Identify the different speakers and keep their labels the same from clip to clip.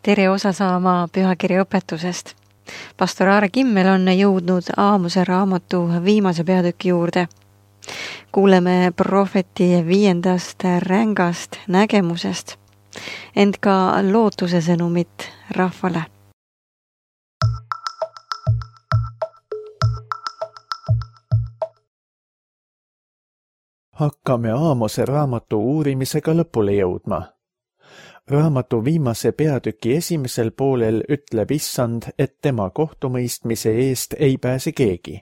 Speaker 1: Tere osa saama pühakirja õpetusest. Pastor Aare Kimmel on jõudnud Aamose raamatu viimase peatüki juurde. Kuuleme prohveti 5. rängast nägemusest, ent ka lootuse sõnumit rahvale.
Speaker 2: Hakkame Aamose raamatu uurimisega lõpule jõudma. Raamatu viimase peatüki esimesel poolel ütleb Issand, et tema kohtumõistmise eest ei pääse keegi.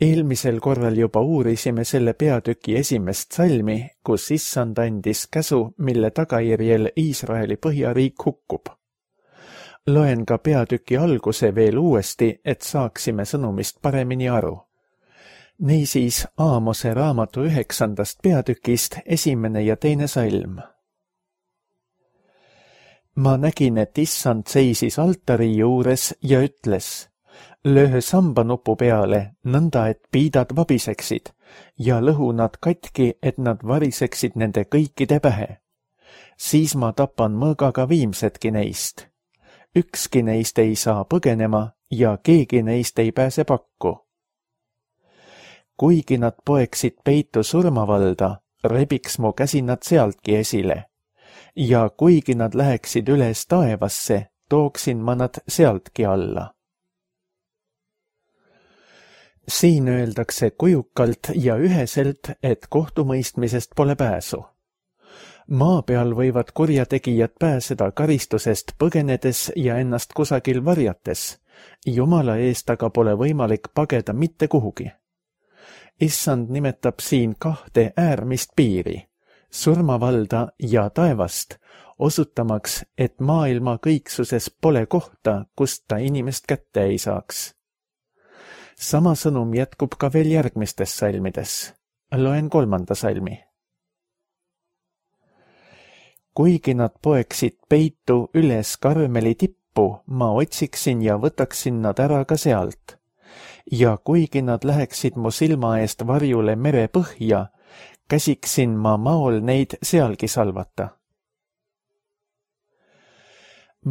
Speaker 2: Eelmisel korral juba uurisime selle peatüki esimest salmi, kus Issand andis käsu, mille tagajärjel Iisraeli põhjariik hukkub. Loen ka peatüki alguse veel uuesti, et saaksime sõnumist paremini aru. Niisiis Aamose raamatu 9. peatükist 1. ja 2. salm. Ma nägin, et Issand seisis altari juures ja ütles, löö sambanupu peale, nõnda et piidad vabiseksid, ja lõhu nad katki, et nad variseksid nende kõikide pähe. Siis ma tapan mõõgaga viimsedki neist. Ükski neist ei saa põgenema ja keegi neist ei pääse pakku. Kuigi nad poeksid peitu surmavalda, rebiks mu käsi nad sealtki esile. Ja kuigi nad läheksid üles taevasse, tooksin ma nad sealtki alla. Siin öeldakse kujukalt ja üheselt, et kohtumõistmisest pole pääsu. Maa peal võivad kurjategijad pääseda karistusest põgenedes ja ennast kusagil varjates, Jumala eest aga pole võimalik pageda mitte kuhugi. Issand nimetab siin 2 äärmist piiri, surmavalda ja taevast, osutamaks, et maailma kõiksuses pole kohta, kust ta inimest kätte ei saaks. Sama sõnum jätkub ka veel järgmistes salmides. Loen 3. salmi. Kuigi nad poeksid peitu üles Karmeli tippu, ma otsiksin ja võtaksin nad ära ka sealt. Ja kuigi nad läheksid mu silma eest varjule mere põhja, käsiksin ma maol neid sealgi salvata.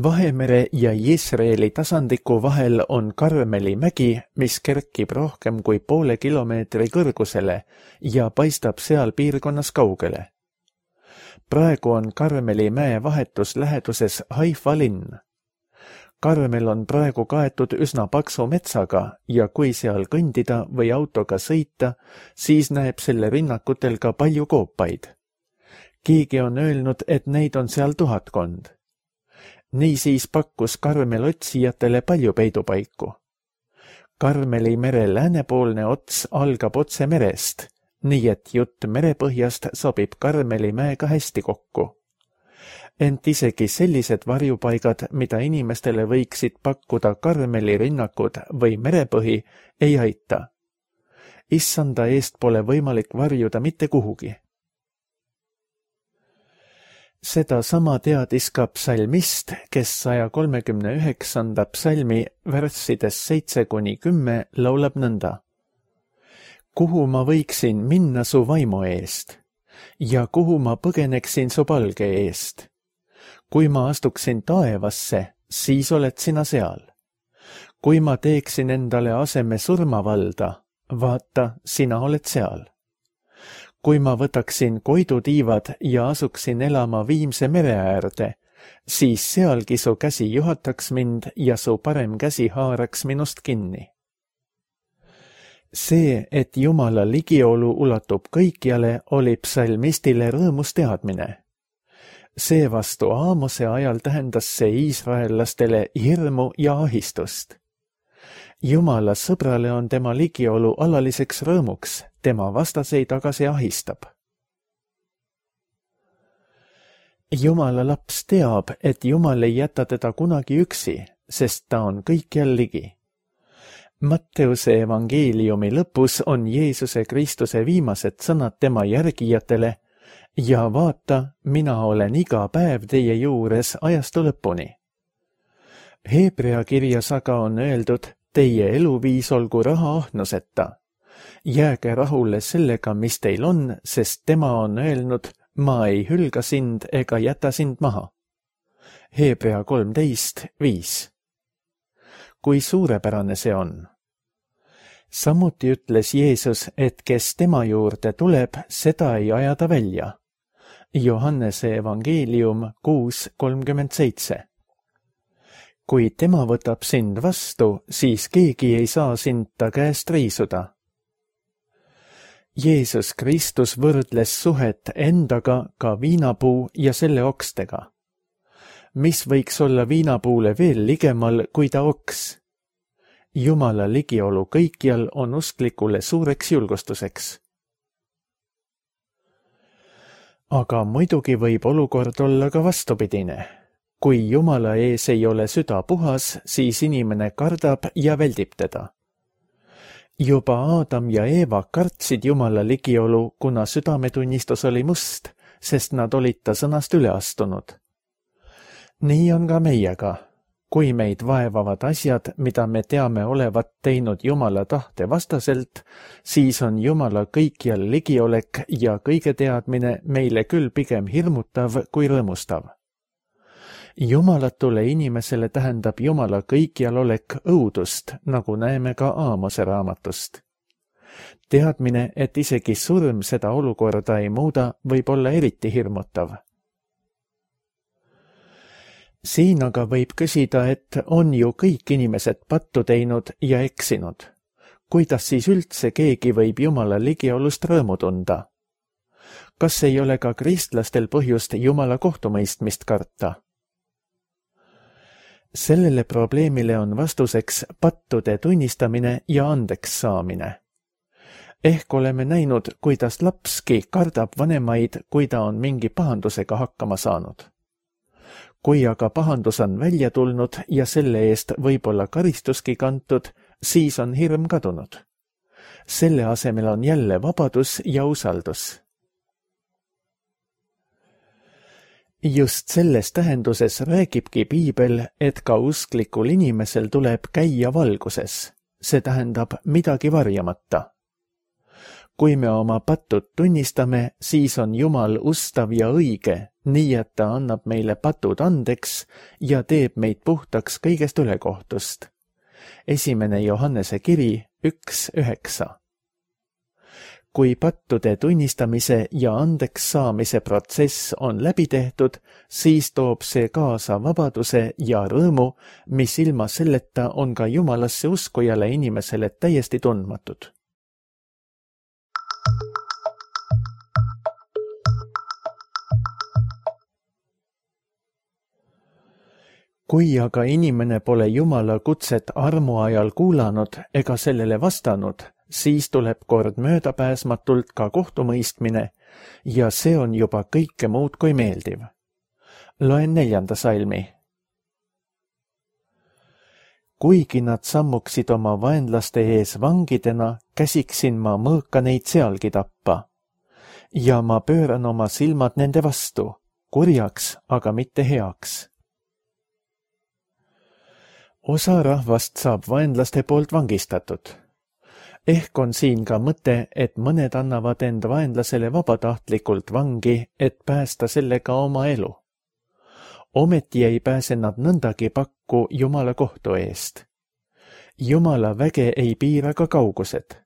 Speaker 2: Vahemere ja Iisraeli tasandiku vahel on Karmeli mägi, mis kerkib rohkem kui 0,5 kilomeetri kõrgusele ja paistab seal piirkonnas kaugele. Praegu on Karmeli mäe vahetus läheduses Haifa linn. Karmel on praegu kaetud üsna paksu metsaga ja kui seal kõndida või autoga sõita, siis näeb selle rinnakutel ka palju koopaid. Keegi on öelnud, et neid on seal 1000. Niisiis pakkus Karmel otsijatele palju peidupaiku. Karmeli mere läänepoolne ots algab otse merest, nii et jutt merepõhjast sobib Karmeli mäega hästi kokku. Ent isegi sellised varjupaigad, mida inimestele võiksid pakkuda Karmeli rinnakud või merepõhi, ei aita. Issanda eest pole võimalik varjuda mitte kuhugi. Seda sama teadis ka psalmist, kes 139. psalmi värssides 7-10 laulab nõnda. Kuhu ma võiksin minna su vaimu eest ja kuhu ma põgeneksin su palge eest? Kui ma astuksin taevasse, siis oled sina seal. Kui ma teeksin endale aseme surmavalda, vaata, sina oled seal. Kui ma võtaksin koidutiivad ja asuksin elama Viimse mere äärde, siis sealgi su käsi juhataks mind ja su parem käsi haaraks minust kinni. See, et Jumala ligiolu ulatub kõikjale, oli psalmistile rõõmus teadmine. Seevastu Aamose ajal tähendas see iisraellastele hirmu ja ahistust. Jumala sõbrale on tema ligiolu alaliseks rõõmuks, tema vastaseid aga see ahistab. Jumala laps teab, et Jumal ei jäta teda kunagi üksi, sest ta on kõikjal ligi. Matteuse evangeeliumi lõpus on Jeesuse Kristuse viimased sõnad tema järgijatele, ja vaata, mina olen iga päev teie juures ajastu lõpuni. Hebrea kirjas aga on öeldud, teie eluviis olgu rahaahnuseta. Jääge rahule sellega, mis teil on, sest tema on öelnud, ma ei hülga sind ega jäta sind maha. Hebra 13:5. Kui suurepärane see on! Samuti ütles Jeesus, et kes tema juurde tuleb, seda ei ajada välja. Johannese evangeelium 6:37. Kui tema võtab sind vastu, siis keegi ei saa sind ta käest riisuda. Jeesus Kristus võrdles suhet endaga ka viinapuu ja selle okstega. Mis võiks olla viinapuule veel ligemal kui ta oks? Jumala ligiolu kõikjal on usklikule suureks julgustuseks. Aga muidugi võib olukord olla ka vastupidine. Kui Jumala ees ei ole süda puhas, siis inimene kardab ja väldib teda. Juba Aadam ja Eeva kartsid Jumala ligiolu, kuna südametunnistus oli must, sest nad olid ta sõnast üle astunud. Nii on ka meiega. Kui meid vaevavad asjad, mida me teame olevat teinud Jumala tahte vastaselt, siis on Jumala kõikjal ligiolek ja kõige teadmine meile küll pigem hirmutav kui rõõmustav. Jumalatule inimesele tähendab Jumala kõikjal olek õudust, nagu näeme ka Aamose raamatust. Teadmine, et isegi surm seda olukorda ei muuda, võib olla eriti hirmutav. Siin aga võib küsida, et on ju kõik inimesed pattu teinud ja eksinud. Kuidas siis üldse keegi võib Jumala ligiolust rõõmu tunda? Kas ei ole ka kristlastel põhjust Jumala kohtumõistmist karta? Sellele probleemile on vastuseks pattude tunnistamine ja andeks saamine. Ehk oleme näinud, kuidas lapski kardab vanemaid, kui ta on mingi pahandusega hakkama saanud. Kui aga pahandus on välja tulnud ja selle eest võib-olla karistuski kantud, siis on hirm kadunud. Selle asemel on jälle vabadus ja usaldus. Just selles tähenduses räägibki Piibel, et ka usklikul inimesel tuleb käia valguses, see tähendab midagi varjamata. Kui me oma pattud tunnistame, siis on Jumal ustav ja õige, nii et ta annab meile patud andeks ja teeb meid puhtaks kõigest ülekohtust. 1. Johannese kiri 1:9. Kui pattude tunnistamise ja andeks saamise protsess on läbi tehtud, siis toob see kaasa vabaduse ja rõõmu, mis ilma selleta on ka Jumalasse uskujale inimesele täiesti tundmatud. Kui aga inimene pole Jumala kutset armu ajal kuulanud ega sellele vastanud, siis tuleb kord möödapääsmatult ka kohtumõistmine ja see on juba kõike muud kui meeldiv. Loen 4. salmi. Kuigi nad sammuksid oma vaenlaste ees vangidena, käsiksin ma mõõka neid sealgi tappa. Ja ma pööran oma silmad nende vastu, kurjaks, aga mitte heaks. Osa rahvast saab vaenlaste poolt vangistatud. Ehk on siin ka mõte, et mõned annavad end vaenlasele vabatahtlikult vangi, et päästa sellega oma elu. Ometi ei pääse nad nõndagi pakku Jumala kohtu eest. Jumala väge ei piira ka kaugused.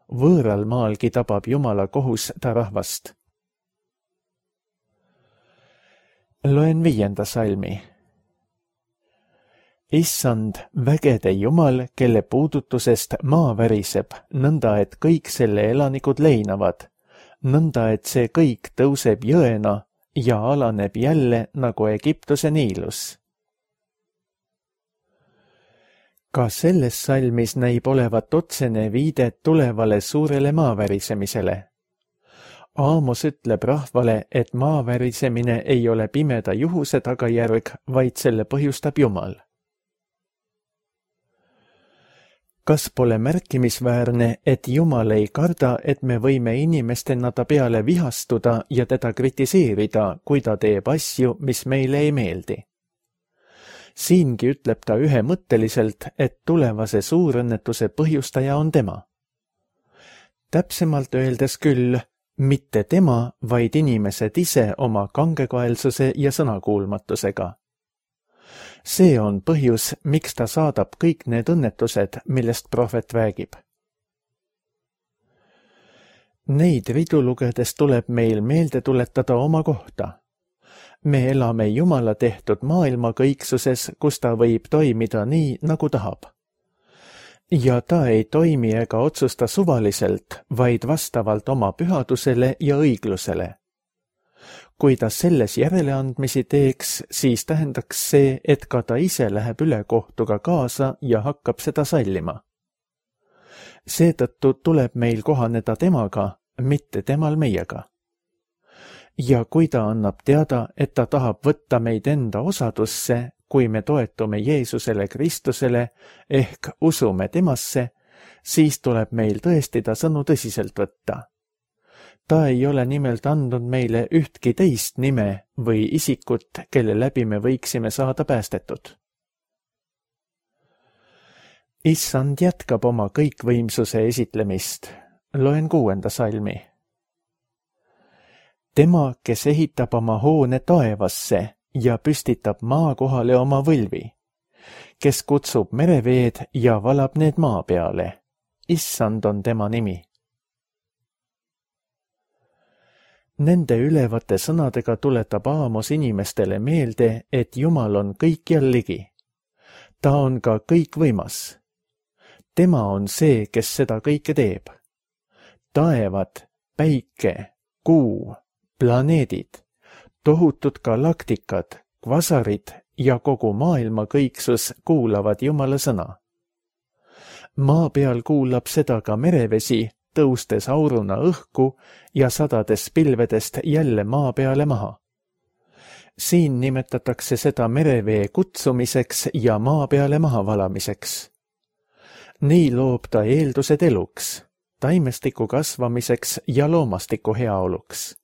Speaker 2: Võõral maalgi tabab Jumala kohus ta rahvast. Loen 5. salmi. Issand, vägede Jumal, kelle puudutusest maa väriseb, nõnda et kõik selle elanikud leinavad, nõnda et see kõik tõuseb jõena ja alaneb jälle nagu Egiptuse Niilus. Ka selles salmis näib olevat otsene viide tulevale suurele maavärisemisele. Aamos ütleb rahvale, et maavärisemine ei ole pimeda juhuse tagajärg, vaid selle põhjustab Jumal. Kas pole märkimisväärne, et Jumal ei karda, et me võime inimestena ta peale vihastuda ja teda kritiseerida, kui ta teeb asju, mis meile ei meeldi? Siingi ütleb ta ühemõtteliselt, et tulevase suurõnnetuse põhjustaja on tema. Täpsemalt öeldes küll, mitte tema, vaid inimesed ise oma kangekaelsuse ja sõnakuulmatusega. See on põhjus, miks ta saadab kõik need õnnetused, millest prohvet räägib. Neid ridu lugedes tuleb meil meelde tuletada oma kohta. Me elame Jumala tehtud maailma kõiksuses, kus ta võib toimida nii, nagu tahab. Ja ta ei toimi ega otsusta suvaliselt, vaid vastavalt oma pühadusele ja õiglusele. Kui ta selles järeleandmisi teeks, siis tähendaks see, et ka ta ise läheb ülekohtuga kaasa ja hakkab seda sallima. Seetõttu tuleb meil kohaneda temaga, mitte temal meiega. Ja kui ta annab teada, et ta tahab võtta meid enda osadusse, kui me toetume Jeesusele Kristusele ehk usume temasse, siis tuleb meil tõesti ta sõnu tõsiselt võtta. Ta ei ole nimelt andnud meile ühtki teist nime või isikut, kelle läbi me võiksime saada päästetud. Issand jätkab oma kõikvõimsuse esitlemist. Loen 6. salmi. Tema, kes ehitab oma hoone taevasse ja püstitab maa kohale oma võlvi, kes kutsub mereveed ja valab need maa peale. Issand on tema nimi. Nende ülevate sõnadega tuletab Aamos inimestele meelde, et Jumal on kõikjal ligi. Ta on ka kõikvõimas. Tema on see, kes seda kõike teeb. Taevad, päike, kuu, planeedid, tohutud galaktikad, kvasarid ja kogu maailma kõiksus kuulavad Jumala sõna. Maa peal kuulab seda ka merevesi, tõustes auruna õhku ja sadades pilvedest jälle maa peale maha. Siin nimetatakse seda merevee kutsumiseks ja maa peale maha valamiseks. Nii loob ta eeldused eluks, taimestiku kasvamiseks ja loomastiku heaoluks.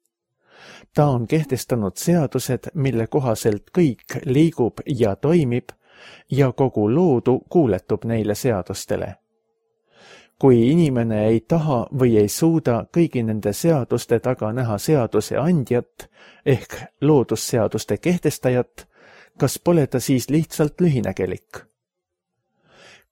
Speaker 2: Ta on kehtestanud seadused, mille kohaselt kõik liigub ja toimib ja kogu loodu kuuletub neile seadustele. Kui inimene ei taha või ei suuda kõigi nende seaduste taga näha seaduse andjat ehk loodusseaduste kehtestajat, kas pole ta siis lihtsalt lühinägelik?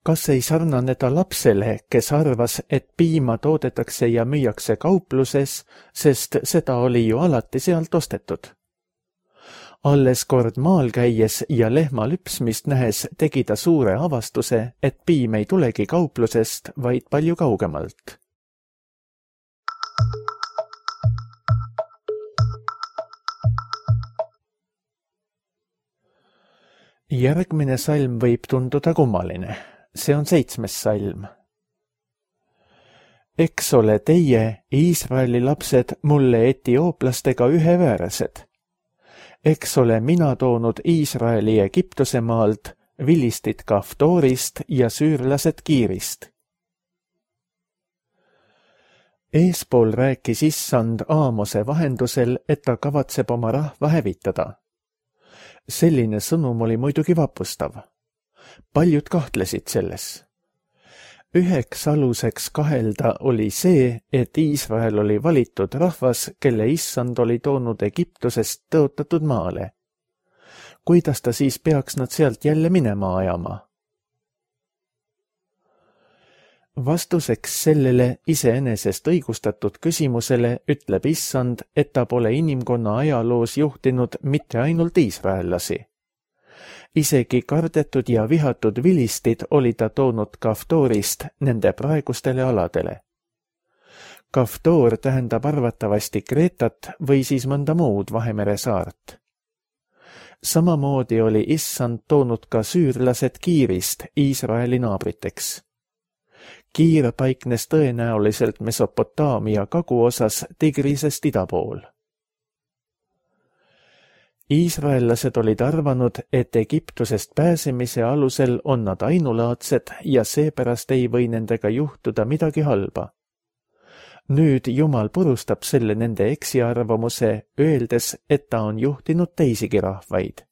Speaker 2: Kas ei sarnane ta lapsele, kes arvas, et piima toodetakse ja müüakse kaupluses, sest seda oli ju alati sealt ostetud? Alles kord maal käies ja lehma lüpsmist nähes tegi ta suure avastuse, et piim ei tulegi kauplusest, vaid palju kaugemalt. Järgmine salm võib tunduda kummaline. See on 7. salm. Eks ole teie, Iisraeli lapsed, mulle etiooplastega üheväärased. Eks ole mina toonud Iisraeli Egiptuse maalt, vilistid Kaftorist ja süürlased Kiirist. Eespool rääkis Issand Aamose vahendusel, et ta kavatseb oma rahva hävitada. Selline sõnum oli muidugi vapustav. Paljud kahtlesid selles. Üheks aluseks kahelda oli see, et Iisrael oli valitud rahvas, kelle Issand oli toonud Egiptusest tõotatud maale. Kuidas ta siis peaks nad sealt jälle minema ajama? Vastuseks sellele iseenesest õigustatud küsimusele ütleb Issand, et ta pole inimkonna ajaloos juhtinud mitte ainult iisraellasi. Isegi kardetud ja vihatud vilistid oli ta toonud Kaftorist nende praegustele aladele. Kaftor tähendab arvatavasti Kreetat või siis mõnda muud Vahemere saart. Samamoodi oli Issand toonud ka süürlased Kiirist Iisraeli naabriteks. Kiir paiknes tõenäoliselt Mesopotaamia kaguosas Tigrisest ida pool. Iisraellased olid arvanud, et Egiptusest pääsemise alusel on nad ainulaadsed ja seepärast ei või nendega juhtuda midagi halba. Nüüd Jumal purustab selle nende eksiarvamuse, öeldes, et ta on juhtinud teisigi rahvaid.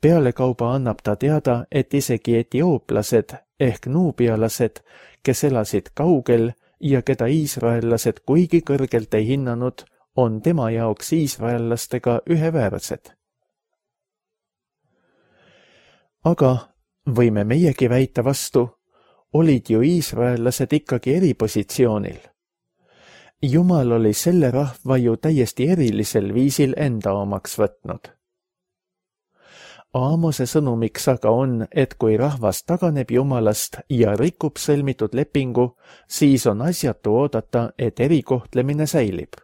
Speaker 2: Pealekauba annab ta teada, et isegi etiooplased ehk nuubialased, kes elasid kaugel ja keda iisraellased kuigi kõrgelt ei hinnanud, on tema jaoks iisraellastega üheväärsed. Aga võime meiegi väita vastu, olid ju iisraellased ikkagi eripositsioonil. Jumal oli selle rahva ju täiesti erilisel viisil enda omaks võtnud. Aamose sõnumiks aga on, et kui rahvas taganeb Jumalast ja rikub sõlmitud lepingu, siis on asjatu oodata, et erikohtlemine säilib.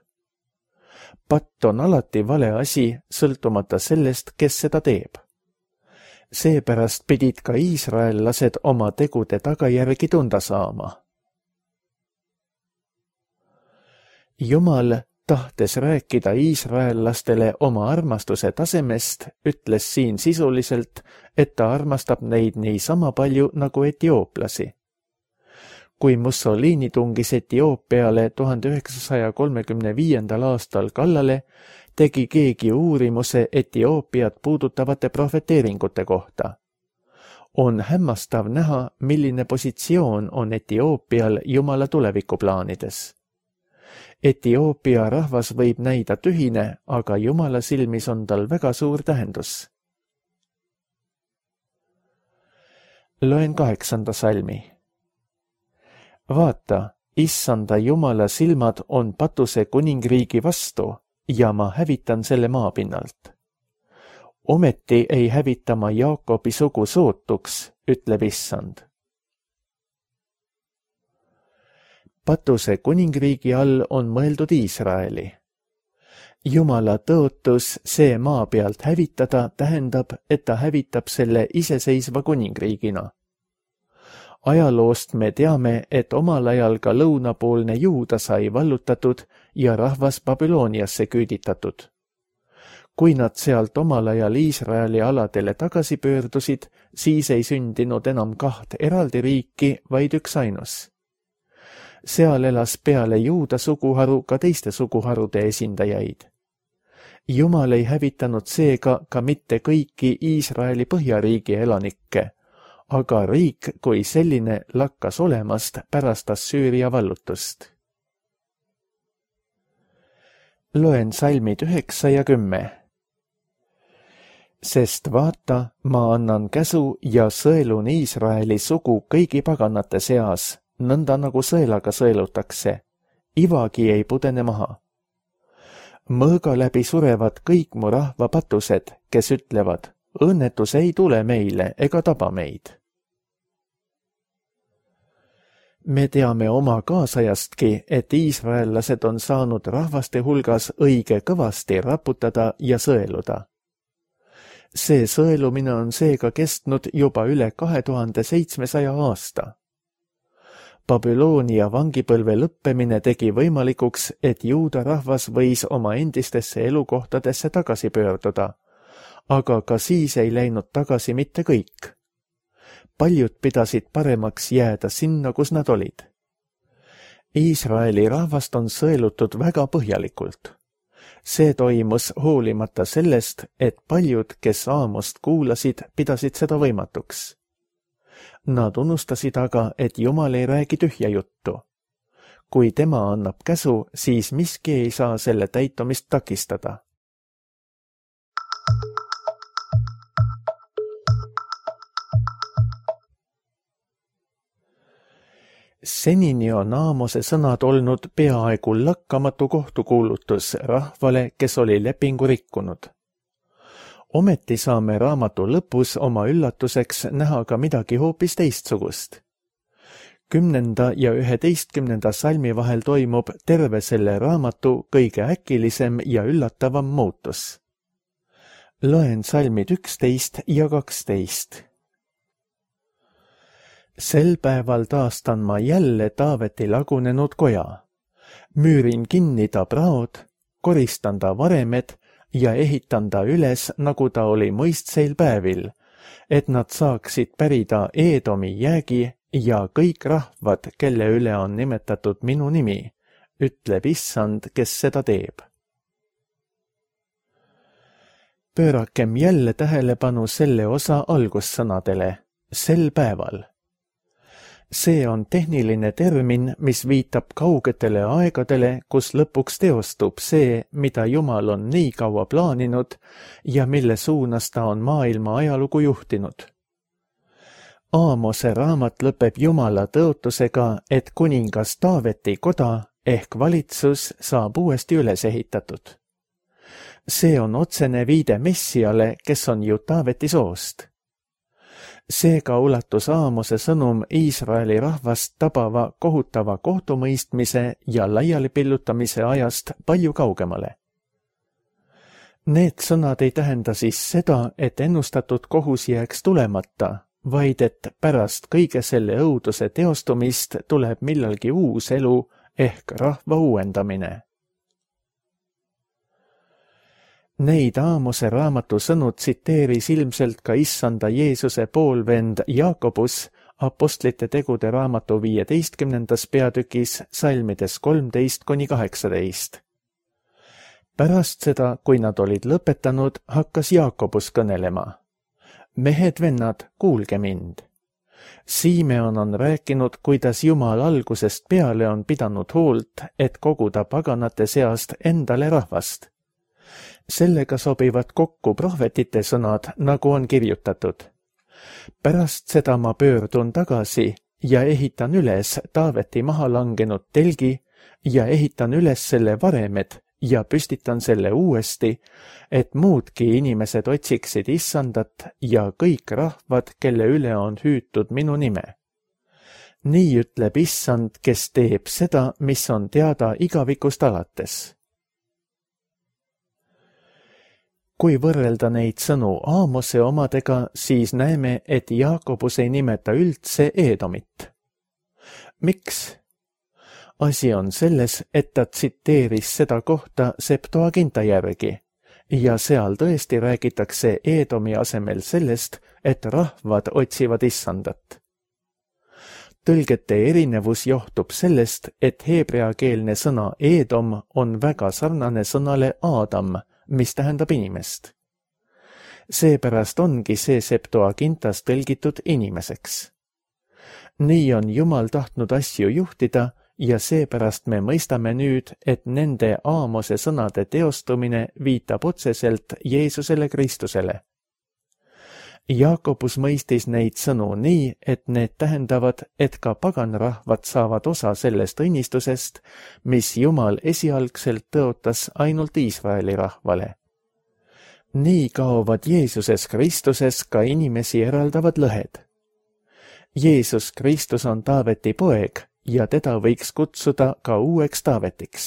Speaker 2: Patt on alati vale asi, sõltumata sellest, kes seda teeb. Seepärast pidid ka iisraellased oma tegude tagajärgi tunda saama. Jumal, tahtes rääkida iisraellastele oma armastuse tasemest, ütles siin sisuliselt, et ta armastab neid nii sama palju nagu etiooplasi. Kui Mussolini tungis Etioopiale 1935. aastal kallale, tegi keegi uurimuse Etioopiat puudutavate profeteeringute kohta. On hämmastav näha, milline positsioon on Etioopial Jumala tulevikuplaanides. Etioopia rahvas võib näida tühine, aga Jumala silmis on tal väga suur tähendus. Loen 8. salmi. Vaata, issanda Jumala silmad on Patuse kuningriigi vastu ja ma hävitan selle maapinnalt. Ometi ei hävita ma Jaakobi sugu sootuks, ütleb issand. Patuse kuningriigi all on mõeldud Iisraeli. Jumala tõotus see maa pealt hävitada tähendab, et ta hävitab selle iseseisva kuningriigina. Ajaloost me teame, et omal ajal ka lõunapoolne Juuda sai vallutatud ja rahvas Babyloniasse küüditatud. Kui nad sealt omal ajal Iisraeli aladele tagasi pöördusid, siis ei sündinud enam 2 eraldi riiki, vaid üksainus. Seal elas peale Juuda suguharu ka teiste suguharude esindajaid. Jumal ei hävitanud seega ka mitte kõiki Iisraeli põhjariigi elanikke, aga riik kui selline lakkas olemast pärast Assüüria vallutust. Loen salmid 9 ja 10. Sest vaata, ma annan käsu ja sõelun Iisraeli sugu kõigi paganate seas, nõnda nagu sõelaga sõelutakse, ivagi ei pudene maha. Mõõga läbi surevad kõik mu rahva patused, kes ütlevad, õnnetus ei tule meile ega taba meid. Me teame oma kaasajastki, et iisraellased on saanud rahvaste hulgas õige kõvasti raputada ja sõeluda. See sõelumine on seega kestnud juba üle 2700 aasta. Babyloonia vangipõlve lõppemine tegi võimalikuks, et Juuda rahvas võis oma endistesse elukohtadesse tagasi pöörduda, aga ka siis ei läinud tagasi mitte kõik. Paljud pidasid paremaks jääda sinna, kus nad olid. Iisraeli rahvast on sõelutud väga põhjalikult. See toimus hoolimata sellest, et paljud, kes Aamost kuulasid, pidasid seda võimatuks. Nad unustasid aga, et Jumal ei räägi tühja juttu. Kui tema annab käsu, siis miski ei saa selle täitumist takistada. Senini on Aamose sõnad olnud peaaegu lakkamatu kohtukuulutus rahvale, kes oli lepingu rikkunud. Ometi saame raamatu lõpus oma üllatuseks näha ka midagi hoopis teistsugust. 10. ja 11. salmi vahel toimub terve selle raamatu kõige äkilisem ja üllatavam muutus. Loen salmid 11 ja 12. Sel päeval taastan ma jälle Taaveti lagunenud koja. Müürin kinni ta praod, koristan ta varemed ja ehitan ta üles, nagu ta oli mõistseil päevil, et nad saaksid pärida Eedomi jäägi ja kõik rahvad, kelle üle on nimetatud minu nimi, ütleb issand, kes seda teeb. Pöörakem jälle tähelepanu selle osa algussõnadele, sel päeval. See on tehniline termin, mis viitab kaugetele aegadele, kus lõpuks teostub see, mida Jumal on nii kaua plaaninud ja mille suunas ta on maailma ajalugu juhtinud. Aamose raamat lõpeb Jumala tõotusega, et kuningas Taaveti koda ehk valitsus saab uuesti üles ehitatud. See on otsene viide Messiale, kes on ju Taaveti soost. Seega ulatus Aamose sõnum Iisraeli rahvast tabava kohutava kohtumõistmise ja laialipillutamise ajast palju kaugemale. Need sõnad ei tähenda siis seda, et ennustatud kohus jääks tulemata, vaid et pärast kõige selle õuduse teostumist tuleb millalgi uus elu ehk rahva uuendamine. Neid Aamose raamatu sõnu tsiteeris ilmselt ka issanda Jeesuse poolvend Jaakobus apostlite tegude raamatu 15. peatükis salmides 13–18. Pärast seda, kui nad olid lõpetanud, hakkas Jaakobus kõnelema. Mehed-vennad, kuulge mind. Simeon on rääkinud, kuidas Jumal algusest peale on pidanud hoolt, et koguda paganate seast endale rahvast. Sellega sobivad kokku prohvetite sõnad, nagu on kirjutatud. Pärast seda ma pöördun tagasi ja ehitan üles Taaveti maha langenud telgi ja ehitan üles selle varemed ja püstitan selle uuesti, et muudki inimesed otsiksid issandat ja kõik rahvad, kelle üle on hüütud minu nime. Nii ütleb issand, kes teeb seda, mis on teada igavikust alates. Kui võrrelda neid sõnu Aamose omadega, siis näeme, et Jaakobus ei nimeta üldse Eedomit. Miks? Asi on selles, et ta tsiteeris seda kohta Septuaginta järgi ja seal tõesti räägitakse Eedomi asemel sellest, et rahvad otsivad issandat. Tõlgete erinevus johtub sellest, et heebreakeelne sõna Eedom on väga sarnane sõnale Aadam, mis tähendab inimest. Seepärast ongi see Septuagintas tõlgitud inimeseks. Nii on Jumal tahtnud asju juhtida ja seepärast me mõistame nüüd, et nende Aamose sõnade teostumine viitab otseselt Jeesusele Kristusele. Jaakobus mõistis neid sõnu nii, et need tähendavad, et ka paganrahvad saavad osa sellest õnnistusest, mis Jumal esialgselt tõotas ainult Iisraeli rahvale. Nii kaovad Jeesuses Kristuses ka inimesi eraldavad lõhed. Jeesus Kristus on Taaveti poeg ja teda võiks kutsuda ka uueks Taavetiks.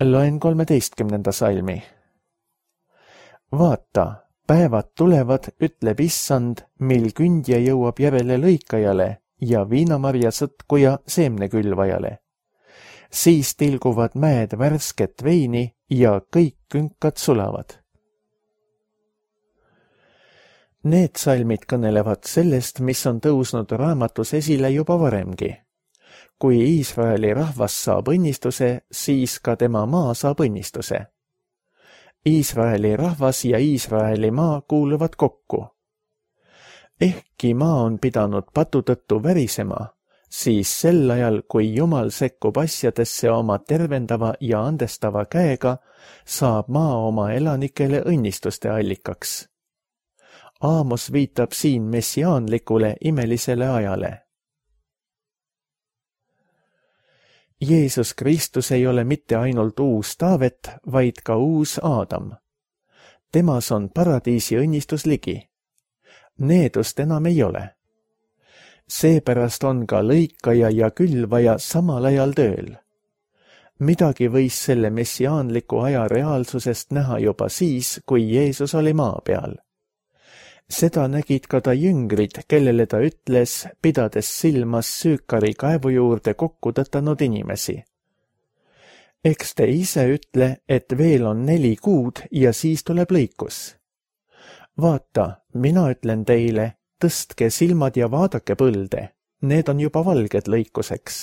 Speaker 2: Loen 13. salmi. Vaata, päevad tulevad, ütleb issand, mil kündja jõuab järele lõikajale ja viinamarja sõtkuja seemnekülvajale. Siis tilguvad mäed värsket veini ja kõik künkad sulavad. Need salmid kõnelevad sellest, mis on tõusnud raamatus esile juba varemgi. Kui Iisraeli rahvas saab õnnistuse, siis ka tema maa saab õnnistuse. Iisraeli rahvas ja Iisraeli maa kuuluvad kokku. Ehkki maa on pidanud patu tõttu värisema, siis sel ajal, kui Jumal sekkub asjadesse oma tervendava ja andestava käega, saab maa oma elanikele õnnistuste allikaks. Aamos viitab siin messiaanlikule imelisele ajale. Jeesus Kristus ei ole mitte ainult uus Taavet, vaid ka uus Aadam. Temas on paradiisi õnnistus ligi. Needust enam ei ole. Seepärast on ka lõikaja ja külvaja samal ajal tööl. Midagi võis selle messiaanliku aja reaalsusest näha juba siis, kui Jeesus oli maa peal. Seda nägid ka ta jüngrid, kellele ta ütles, pidades silmas Süükari kaevu juurde kokku tõtanud inimesi. Eks te ise ütle, et veel on 4 kuud ja siis tuleb lõikus. Vaata, mina ütlen teile, tõstke silmad ja vaadake põlde, need on juba valged lõikuseks.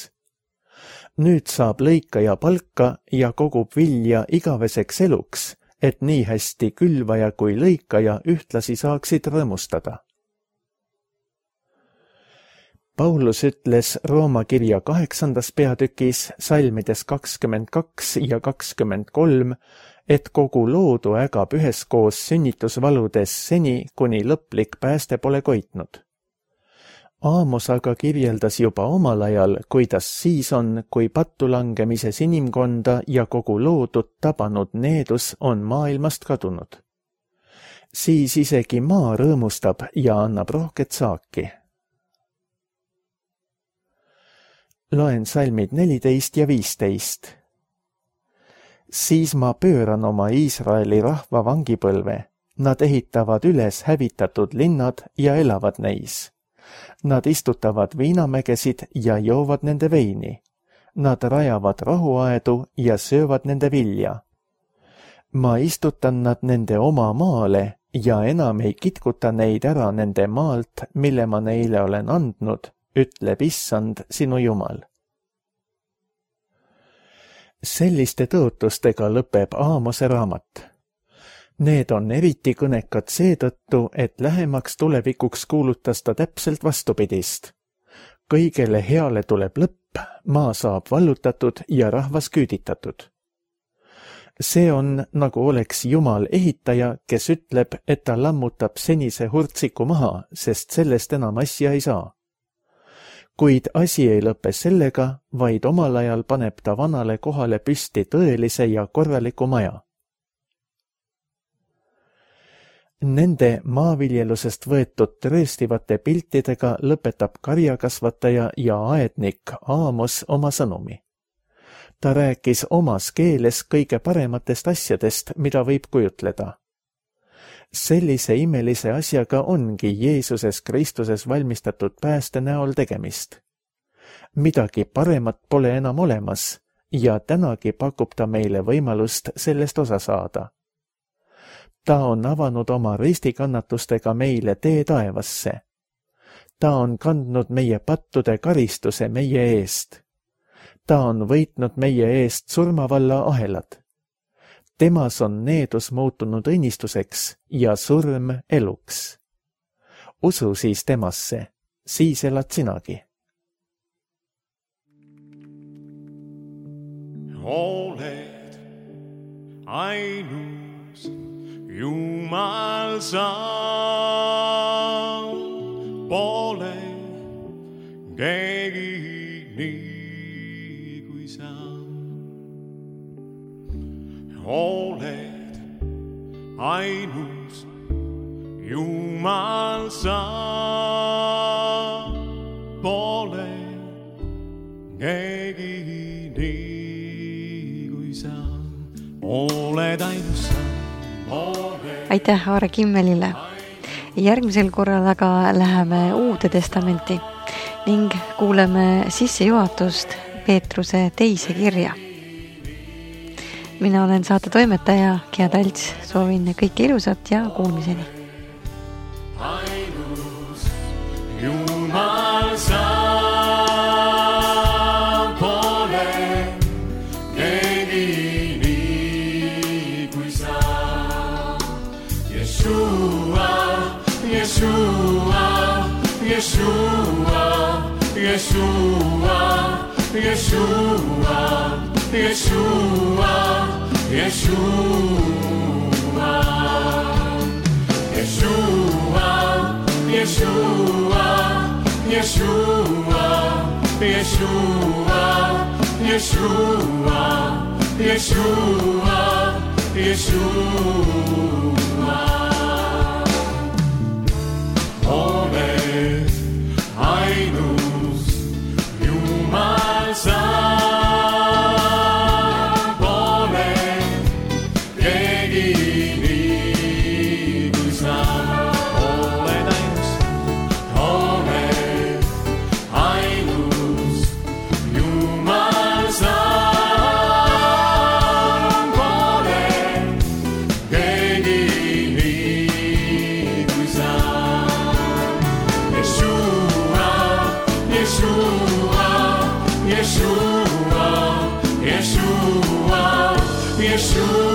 Speaker 2: Nüüd saab lõikaja palka ja kogub vilja igaveseks eluks, et nii hästi külvaja kui lõikaja ühtlasi saaksid rõõmustada. Paulus ütles Rooma kirja 8. peatükis salmides 22 ja 23, et kogu loodu ägab üheskoos sünnitusvaludes seni, kuni lõplik pääste pole koitnud. Aamos aga kirjeldas juba omal ajal, kuidas siis on, kui pattu langemises inimkonda ja kogu loodut tabanud needus on maailmast kadunud. Siis isegi maa rõõmustab ja annab rohket saaki. Loen salmid 14 ja 15. Siis ma pööran oma Iisraeli rahva vangipõlve. Nad ehitavad üles hävitatud linnad ja elavad neis. Nad istutavad viinamägesid ja joovad nende veini. Nad rajavad rahuaedu ja söövad nende vilja. Ma istutan nad nende oma maale ja enam ei kitkuta neid ära nende maalt, mille ma neile olen andnud, ütleb Issand, sinu Jumal. Selliste tõotustega lõpeb Aamose raamat. Need on eriti kõnekad seetõttu, et lähemaks tulevikuks kuulutas ta täpselt vastupidist. Kõigele heale tuleb lõpp, maa saab vallutatud ja rahvas küüditatud. See on, nagu oleks Jumal ehitaja, kes ütleb, et ta lammutab senise hurtsiku maha, sest sellest enam asja ei saa. Kuid asi ei lõpe sellega, vaid omal ajal paneb ta vanale kohale püsti tõelise ja korraliku maja. Nende maaviljelusest võetud trööstivate piltidega lõpetab karjakasvataja ja aednik Aamos oma sõnumi. Ta rääkis omas keeles kõige parematest asjadest, mida võib kujutleda. Sellise imelise asjaga ongi Jeesuses Kristuses valmistatud pääste näol tegemist. Midagi paremat pole enam olemas ja tänagi pakub ta meile võimalust sellest osa saada. Ta on avanud oma ristikannatustega meile tee taevasse. Ta on kandnud meie pattude karistuse meie eest. Ta on võitnud meie eest surmavalla ahelad. Temas on needus muutunud õnnistuseks ja surm eluks. Usu siis temasse, siis elad sinagi.
Speaker 3: Oled ainus Jumal sa, pole keegi nii kui sa. Oled ainus Jumal sa, pole keegi nii kui sa. Oled ainus sa.
Speaker 1: Aitäh Aare Kimmelile. Järgmisel korral aga läheme Uude Testamenti ning kuuleme sissejuhatust Peetruse teise kirja. Mina olen saate toimetaja Gea Talts, soovin kõike ilusat ja kuulmiseni.
Speaker 3: Ainus Jumal sa, pole keegi nii kui sa. Yeshua, Yeshua, Yeshua, Yeshua, Yeshua, Yeshua, Yeshua, Yeshua, Yeshua, Yeshua, Yeshua, Yeshua, Yeshua, Yeshua. Oled ainus Jumal sa, pole keegi nii kui sa. Oled ainus Jumal sa, pole keegi nii kui sa. Yeshua, Yeshua, Yeshua, Yeshua, Yeshua.